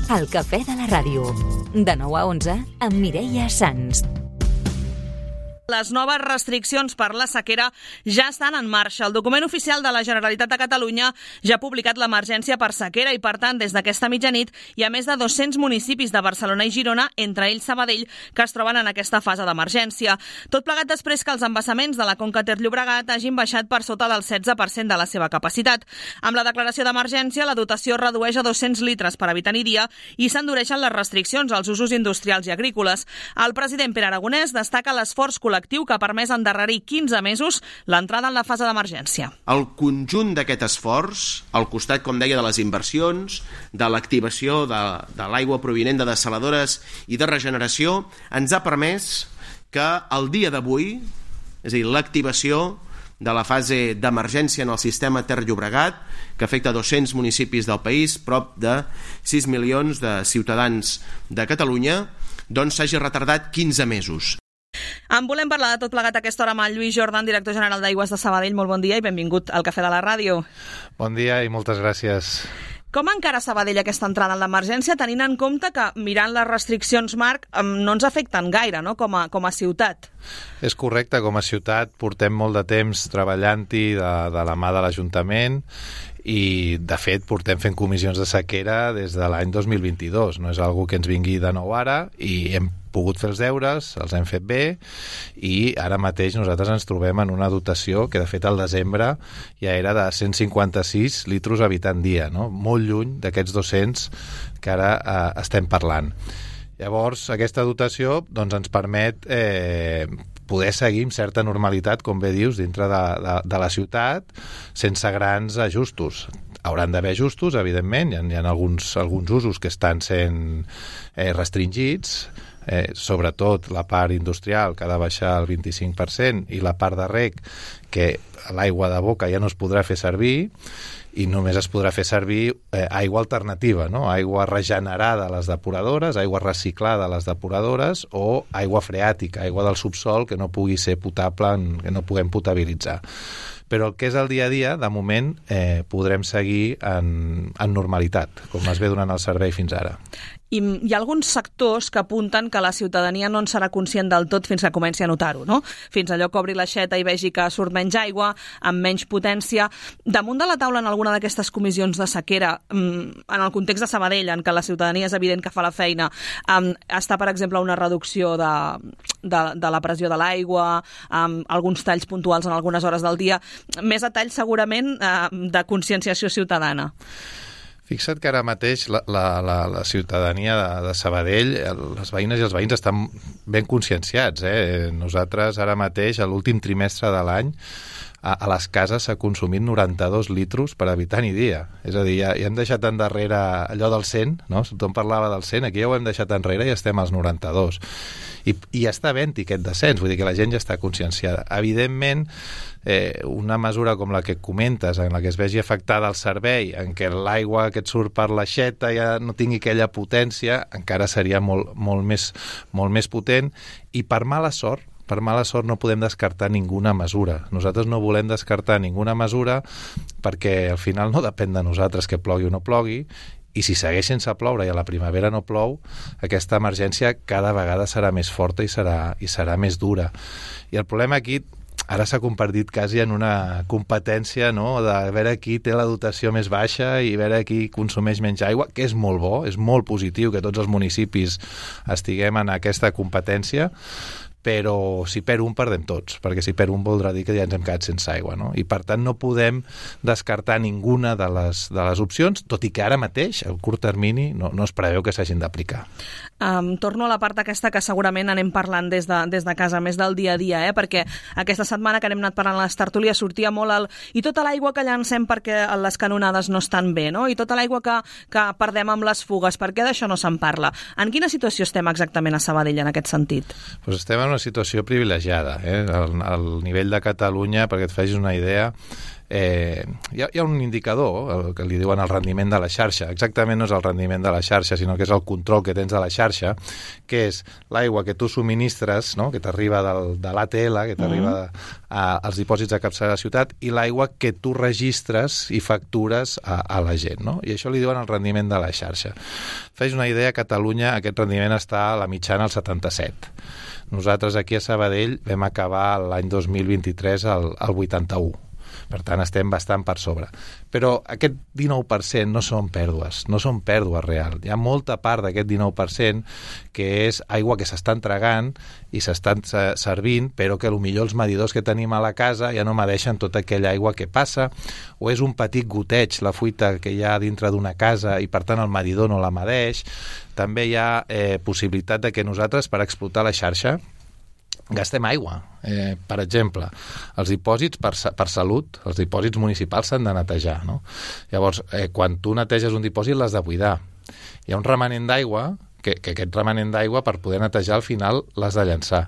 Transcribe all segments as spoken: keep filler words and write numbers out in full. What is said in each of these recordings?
El cafè de la ràdio. De nou a onze, amb Mireia Sans. Les noves restriccions per la sequera ja estan en marxa. El document oficial de la Generalitat de Catalunya ja ha publicat l'emergència per sequera i, per tant, des d'aquesta mitjanit hi ha més de dos-cents municipis de Barcelona i Girona, entre ells Sabadell, que es troben en aquesta fase d'emergència. Tot plegat després que els embassaments de la Conca Ter-Llobregat hagin baixat per sota del setze per cent de la seva capacitat. Amb la declaració d'emergència, la dotació es redueix a dos-cents litres per habitant i dia i s'endureixen les restriccions als usos industrials i agrícoles. El president Pere Aragonès destaca l'esforç col·lectiu que ha permès endarrerir quinze mesos l'entrada en la fase d'emergència. El conjunt d'aquest esforç, al costat, com deia, de les inversions, de l'activació de, de l'aigua provinent de dessaladores i de regeneració, ens ha permès que el dia d'avui, és a dir, l'activació de la fase d'emergència en el sistema Ter-Llobregat, que afecta dos-cents municipis del país, prop de sis milions de ciutadans de Catalunya, doncs s'hagi retardat quinze mesos. En volem parlar de tot plegat a aquesta hora amb el Lluís Jordan, director general d'Aigües de Sabadell. Molt bon dia i benvingut al Cafè de la Ràdio. Bon dia i moltes gràcies. Com encara Sabadell aquesta entrada en l'emergència, tenint en compte que, mirant les restriccions, Marc, no ens afecten gaire, no?, com a, com a ciutat? És correcte, com a ciutat portem molt de temps treballant-hi de, de la mà de l'Ajuntament i, de fet, portem fent comissions de sequera des de l'any dos mil vint-i-dos. No és algo que ens vingui de nou ara i hem pogut fer els deures, els hem fet bé i ara mateix nosaltres ens trobem en una dotació que de fet al desembre ja era de cent cinquanta-sis litros habitant dia, no? Molt lluny d'aquests dos-cents que ara eh, estem parlant. Llavors aquesta dotació doncs, ens permet eh, poder seguir amb certa normalitat, com bé dius, dintre de, de, de la ciutat sense grans ajustos. Hauran d'haver ajustos, evidentment, hi ha, hi ha alguns, alguns usos que estan sent eh, restringits, Eh, sobretot la part industrial, que ha de baixar el vint-i-cinc per cent, i la part de reg, que l'aigua de boca ja no es podrà fer servir i només es podrà fer servir eh, aigua alternativa, no? Aigua regenerada a les depuradores, aigua reciclada a les depuradores o aigua freàtica, aigua del subsol que no pugui ser potable, que no puguem potabilitzar. Però el que és el dia a dia, de moment, eh, podrem seguir en, en normalitat, com es ve donant el servei fins ara. I hi ha alguns sectors que apunten que la ciutadania no en serà conscient del tot fins que comenci a notar-ho, no? Fins allò que obri l'aixeta i vegi que surt menys aigua, amb menys potència. Damunt de la taula en alguna d'aquestes comissions de sequera, en el context de Sabadell, en què la ciutadania és evident que fa la feina, està, per exemple, una reducció de, de, de la pressió de l'aigua, amb alguns talls puntuals en algunes hores del dia, més a tall segurament de conscienciació ciutadana. Fixa't que ara mateix la, la, la, la ciutadania de, de Sabadell, les veïnes i els veïns estan ben conscienciats. Eh? Nosaltres ara mateix, a l'últim trimestre de l'any, a, a les cases s'ha consumit noranta-dos litros per habitant i dia. És a dir, ja, ja hem deixat endarrere allò del cent, no? Tothom parlava del cent, aquí ja ho hem deixat enrere i estem als noranta-dos. I, i ja està havent-hi aquest descens, vull dir que la gent ja està conscienciada. Evidentment, eh, una mesura com la que comentes, en la que es vegi afectada el servei, en què l'aigua que et surt per l'aixeta ja no tingui aquella potència, encara seria molt, molt, més, molt més potent, i per mala sort, per mala sort no podem descartar ninguna mesura. Nosaltres no volem descartar ninguna mesura perquè al final no depèn de nosaltres que plogui o no plogui, i si segueix sense ploure i a la primavera no plou, aquesta emergència cada vegada serà més forta i serà, i serà més dura. I el problema aquí ara s'ha convertit quasi en una competència, no?, de veure qui té la dotació més baixa i veure qui consumeix menys aigua, que és molt bo, és molt positiu que tots els municipis estiguem en aquesta competència, però si perd un, perdem tots, perquè si perd un voldrà dir que ja ens hem quedat sense aigua, no? I per tant no podem descartar ninguna de les, de les opcions, tot i que ara mateix, a curt termini, no, no es preveu que s'hagin d'aplicar. Um, torno a la part aquesta que segurament anem parlant des de, des de casa, més del dia a dia, eh? Perquè aquesta setmana que anem anat parlant a les tertúlies sortia molt el... i tota l'aigua que llancem perquè les canonades no estan bé, no? I tota l'aigua que, que perdem amb les fugues, per què d'això no se'n parla? En quina situació estem exactament a Sabadell en aquest sentit? Pues estem en una situació privilegiada, eh? Al, al nivell de Catalunya, perquè et facis una idea, eh, hi, ha, hi ha un indicador, el que li diuen el rendiment de la xarxa. Exactament no és el rendiment de la xarxa, sinó que és el control que tens de la xarxa, que és l'aigua que tu subministres, no? Que t'arriba del, de l'A T L, que t'arriba mm. als dipòsits de capçalera de la ciutat, i l'aigua que tu registres i factures a, a la gent, no? I això li diuen el rendiment de la xarxa. Fes una idea, a Catalunya aquest rendiment està a la mitjana al setanta-set. Nosaltres aquí a Sabadell vam acabar l'any dos mil vint-i-tres al, al vuitanta-u. Per tant, estem bastant per sobre. Però aquest dinou per cent no són pèrdues, no són pèrdues reals. Hi ha molta part d'aquest dinou per cent que és aigua que s'està entregant i s'estan servint, però que potser els medidors que tenim a la casa ja no medeixen tota aquella aigua que passa, o és un petit goteig, la fuita que hi ha dintre d'una casa, i per tant el medidor no la medeix. També hi ha eh, possibilitat de que nosaltres, per explotar la xarxa, gastem aigua. Eh, per exemple, els dipòsits per, per salut, els dipòsits municipals s'han de netejar, no? Llavors, eh, quan tu neteges un dipòsit l'has de buidar. Hi ha un remanent d'aigua, que, que aquest remanent d'aigua per poder netejar al final l'has de llançar.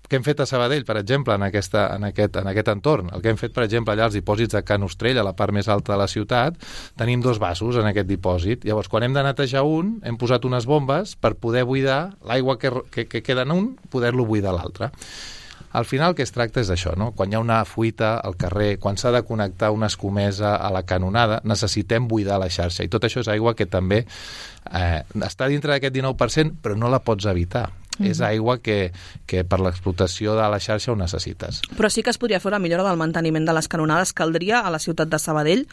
Què hem fet a Sabadell, per exemple, en, aquesta, en, aquest, en aquest entorn? El que hem fet, per exemple, allà als dipòsits de Can Ostrell, a la part més alta de la ciutat, tenim dos vasos en aquest dipòsit. Llavors, quan hem de netejar un, hem posat unes bombes per poder buidar l'aigua que, que, que queda en un, poder-lo buidar l'altre. Al final el que es tracta és d'això, no? Quan hi ha una fuita al carrer, quan s'ha de connectar una escomesa a la canonada, necessitem buidar la xarxa. I tot això és aigua que també eh, està dintre d'aquest dinou per cent, però no la pots evitar. Mm-hmm. És aigua que, que per l'explotació de la xarxa ho necessites. Però sí que es podria fer una millora del manteniment de les canonades. Caldria a la ciutat de Sabadell?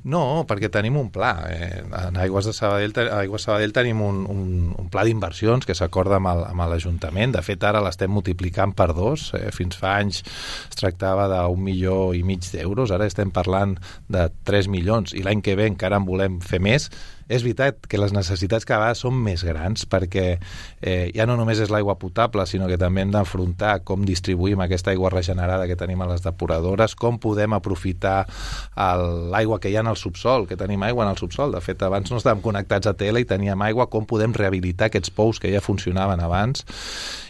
No, perquè tenim un pla. Eh, en Aigües de Sabadell, a Aigües de Sabadell tenim un, un, un pla d'inversions que s'acorda amb, el, amb l'Ajuntament. De fet, ara l'estem multiplicant per dos. Eh, fins fa anys es tractava d'un milió i mig d'euros. Ara estem parlant de tres milions. I l'any que ve encara en volem fer més. És veritat que les necessitats cada vegada són més grans, perquè eh, ja no només és l'aigua potable, sinó que també hem d'afrontar com distribuïm aquesta aigua regenerada que tenim a les depuradores, com podem aprofitar l'aigua que hi ha en el subsol, que tenim aigua en el subsol. De fet, abans no estàvem connectats a tele i teníem aigua, com podem rehabilitar aquests pous que ja funcionaven abans.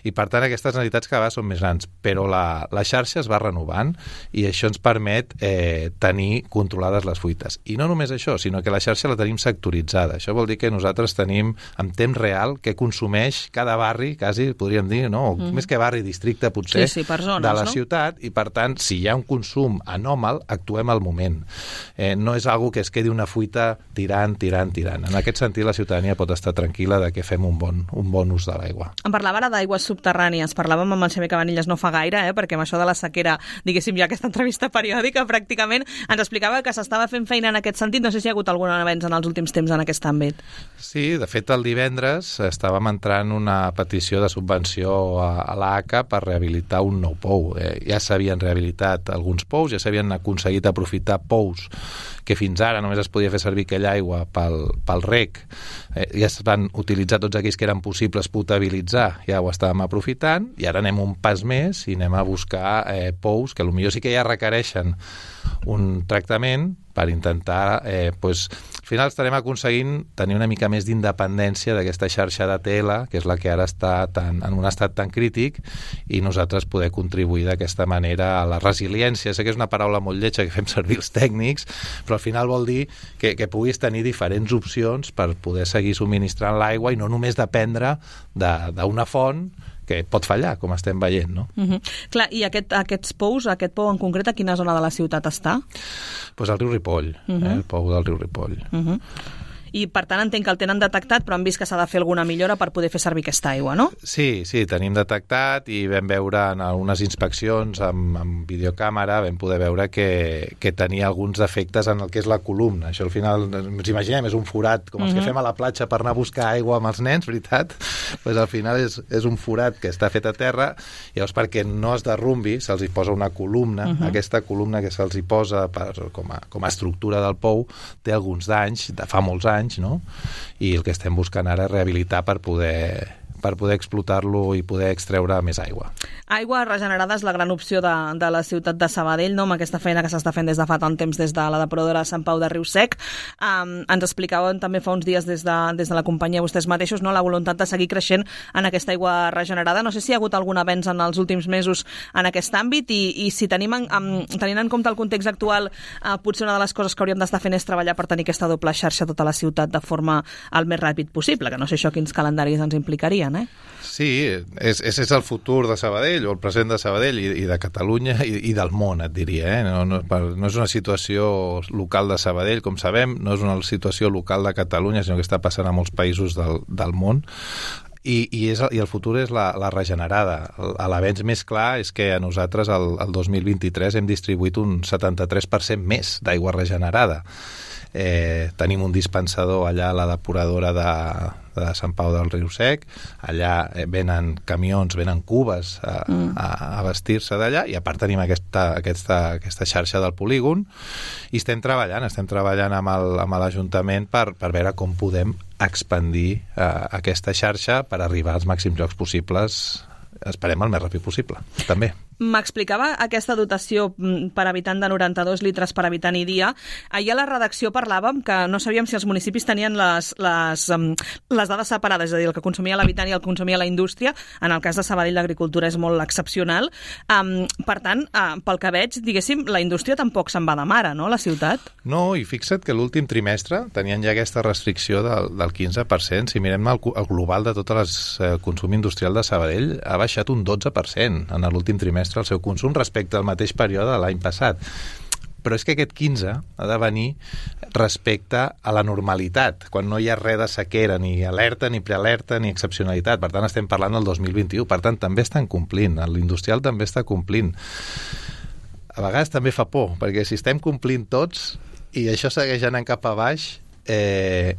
I, per tant, aquestes necessitats cada vegada són més grans. Però la, la xarxa es va renovant i això ens permet eh, tenir controlades les fuites. I no només això, sinó que la xarxa la tenim sectoritzada. Això vol dir que nosaltres tenim en temps real què consumeix cada barri, quasi podríem dir, no? Mm-hmm. Més que barri, districte, potser, sí, sí, per zones, de la no? ciutat, i per tant, si hi ha un consum anòmal, actuem al moment. Eh, no és algo que es quedi una fuita tirant, tirant, tirant. En aquest sentit, la ciutadania pot estar tranquil·la de que fem un bon, un bon ús de l'aigua. Em parlava ara d'aigües subterrànies. Parlàvem amb el Xavier Cabanillas no fa gaire, eh? Perquè amb això de la sequera, diguéssim, ja aquesta entrevista periòdica, pràcticament, ens explicava que s'estava fent feina en aquest sentit. No sé si hi ha hagut algun avenç en els últims temps en aquest àmbit. Sí, de fet el divendres estàvem entrant una petició de subvenció a, a l'A C A per rehabilitar un nou pou. Eh, ja s'havien rehabilitat alguns pous, ja s'havien aconseguit aprofitar pous que fins ara només es podia fer servir aquella aigua pel, pel rec. Eh, ja es van utilitzar tots aquells que eren possibles potabilitzar, ja ho estàvem aprofitant, i ara anem un pas més i anem a buscar eh, pous que potser sí que ja requereixen un tractament per intentar, eh, pues, al final estarem aconseguint tenir una mica més d'independència d'aquesta xarxa de T L, que és la que ara està tan, en un estat tan crític, i nosaltres poder contribuir d'aquesta manera a la resiliència. Sé que és una paraula molt lletja que fem servir els tècnics, però al final vol dir que, que puguis tenir diferents opcions per poder seguir subministrant l'aigua i no només dependre d'una font que pot fallar, com estem veient, no? Uh-huh. Clar, i aquest, aquests pous, aquest pou en concret, a quina zona de la ciutat està? Doncs pues al riu Ripoll, uh-huh. eh, el pou del riu Ripoll. Uh-huh. I, per tant, entenc que el tenen detectat, però han vist que s'ha de fer alguna millora per poder fer servir aquesta aigua, no? Sí, sí, tenim detectat i vam veure en algunes inspeccions amb, amb videocàmera, vam poder veure que, que tenia alguns defectes en el que és la columna. Això al final, ens imaginem, és un forat, com els uh-huh. que fem a la platja per anar a buscar aigua amb els nens, veritat? Pues al final és, és un forat que està fet a terra, i llavors perquè no es derrumbi se'ls hi posa una columna. Uh-huh. Aquesta columna que se'ls hi posa per, com, a, com a estructura del pou té alguns danys, de fa molts anys, no? I el que estem buscant ara és rehabilitar per poder per poder explotar-lo i poder extreure més aigua. Aigua regenerada és la gran opció de, de la ciutat de Sabadell, no? Amb aquesta feina que s'està fent des de fa tant temps des de la depuradora de Sant Pau de Riu-Sec. Um, ens explicaven també fa uns dies des de, des de la companyia vostès mateixos, no? La voluntat de seguir creixent en aquesta aigua regenerada. No sé si hi ha hagut algun avenç en els últims mesos en aquest àmbit i, i si tenim en, um, tenint en compte el context actual, uh, potser una de les coses que hauríem d'estar fent és treballar per tenir aquesta doble xarxa a tota la ciutat de forma el més ràpid possible, que no sé això quins calendaris ens implicarien, eh? Sí, és, és, és el futur de Sabadell, o el present de Sabadell i, i de Catalunya i, i del món, et diria. Eh? No, no, no és una situació local de Sabadell, com sabem, no és una situació local de Catalunya, sinó que està passant a molts països del, del món. I, i, és, i el futur és la, la regenerada. L'avenç més clar és que a nosaltres el, el dos mil vint-i-tres hem distribuït un setanta-tres per cent més d'aigua regenerada. Eh, tenim un dispensador allà a la depuradora de, de Sant Pau del Riu-Sec, allà venen camions, venen cubes a, mm. a, a vestir-se d'allà, i a part tenim aquesta, aquesta, aquesta xarxa del polígon, i estem treballant, estem treballant amb el, amb l'Ajuntament per, per veure com podem expandir eh, aquesta xarxa per arribar als màxims llocs possibles, esperem el més ràpid possible, també. M'explicava aquesta dotació per habitant de noranta-dos litres per habitant i dia. Ahir a la redacció parlàvem que no sabíem si els municipis tenien les, les, les dades separades, és a dir, el que consumia l'habitant i el que consumia la indústria. En el cas de Sabadell l'agricultura és molt excepcional. Um, per tant, uh, pel que veig, diguéssim, la indústria tampoc se'n va de mare, no?, la ciutat? No, i fixa't que l'últim trimestre tenien ja aquesta restricció del, del quinze per cent. Si mirem el, el global de tot el eh, consum industrial de Sabadell, ha baixat un dotze per cent en l'últim trimestre el seu consum respecte al mateix període de l'any passat. Però és que aquest quinze ha de venir respecte a la normalitat, quan no hi ha res de sequera, ni alerta, ni prealerta, ni excepcionalitat. Per tant, estem parlant del dos mil vint-i-u. Per tant, també estan complint. L'industrial també està complint. A vegades també fa por, perquè si estem complint tots i això segueix anant cap a baix, eh,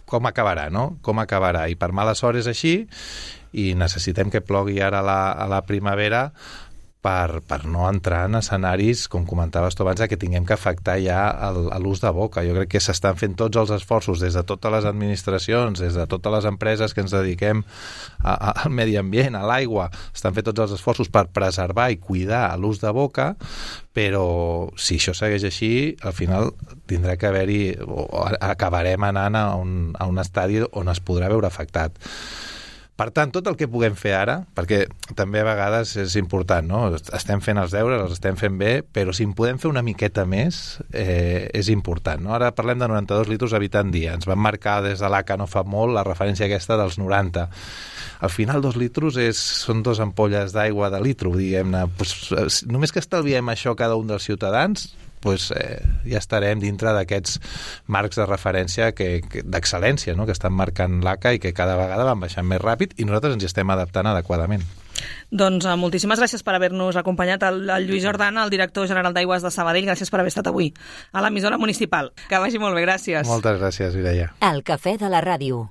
com acabarà, no? Com acabarà? I per mala sort és així, i necessitem que plogui ara a la, a la primavera per, per no entrar en escenaris, com comentaves tu abans, que tinguem que afectar ja el, l'ús de boca. Jo crec que s'estan fent tots els esforços des de totes les administracions, des de totes les empreses que ens dediquem a, a, al medi ambient, a l'aigua, estan fent tots els esforços per preservar i cuidar l'ús de boca, però si això segueix així, al final tindrà que haver-hi, o acabarem anant a un, a un estadi on es podrà veure afectat. Per tant, tot el que puguem fer ara, perquè també a vegades és important, no? Estem fent els deures, els estem fent bé, però si en podem fer una miqueta més, eh, és important, no? Ara parlem de noranta-dos litres habitant dia. Ens van marcar des de l'A C A no fa molt la referència aquesta dels noranta. Al final, dos litros és, són dos ampolles d'aigua de litro, diguem-ne. Pues, només que estalviem això cada un dels ciutadans, pues, eh, ja estarem dintre d'aquests marcs de referència que, que, d'excel·lència, no?, que estan marcant l'A C A i que cada vegada van baixant més ràpid i nosaltres ens hi estem adaptant adequadament. Doncs uh, moltíssimes gràcies per haver-nos acompanyat, el, el Lluís Jordana, el director general d'Aigües de Sabadell. Gràcies per haver estat avui a l'emissora municipal. Que vagi molt bé, gràcies. Moltes gràcies, Mireia. El cafè de la ràdio.